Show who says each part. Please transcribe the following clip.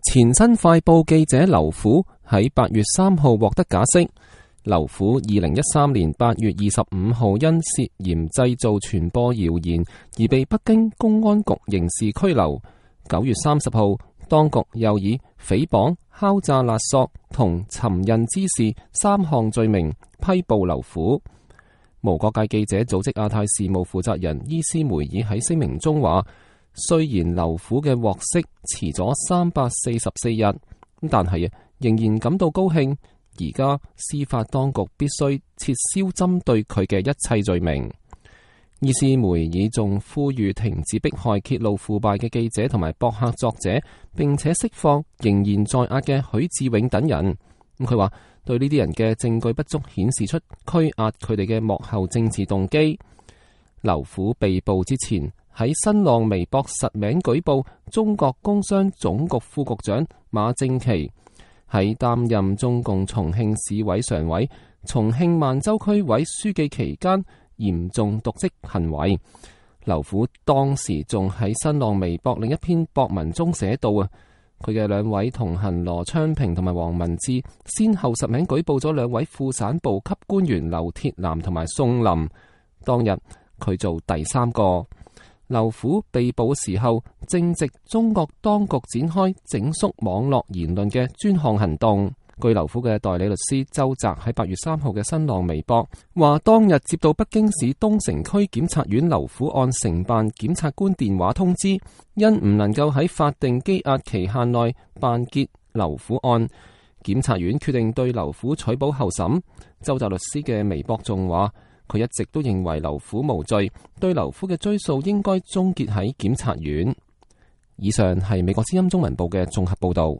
Speaker 1: 前新快報記者劉虎喺8月3號獲得假釋。劉虎2013年8月25號因涉嫌製造傳播謠言而被北京公安局刑事拘留。9月30號，當局又以誹謗、敲詐勒索同尋釁滋事3項罪名批捕劉虎。無國界記者組織亞太事務負責人伊斯梅爾喺聲明中話，雖然劉虎嘅獲釋遲咗344日，但係仍然感到高興。而家司法當局必須撤銷針對佢嘅一切罪名。伊斯梅爾仲呼籲停止迫害揭露腐敗嘅記者同埋博客作者，並且釋放仍然在押嘅許志永等人。佢話對呢啲人嘅證據不足，顯示出拘押佢哋嘅幕後政治動機。劉虎被捕之前喺新浪微博實名舉報中國工商總局副局長馬正祺喺擔任中共重慶市委常委、重慶萬州區委書記期間嚴重瀆職行為。劉虎當時仲喺新浪微博另一篇博文中寫道佢嘅兩位同行羅昌平同埋黃文志先後實名舉報咗兩位副省部級官員劉鐵男同埋宋林，當日佢做第三個。劉虎被捕嘅時候，正值中國當局展開整肅網絡言論嘅專項行動。據劉虎嘅代理律師周澤喺8月3號嘅新浪微博話，當日接到北京市東城區檢察院劉虎案承辦檢察官電話通知，因唔能夠喺法定羈押期限內辦結劉虎案，檢察院決定對劉虎取保候審。周澤律師嘅微博仲話，佢一直都認為劉虎無罪，對劉虎嘅追訴應該終結喺檢察院。以上係美國之音中文部嘅綜合報道。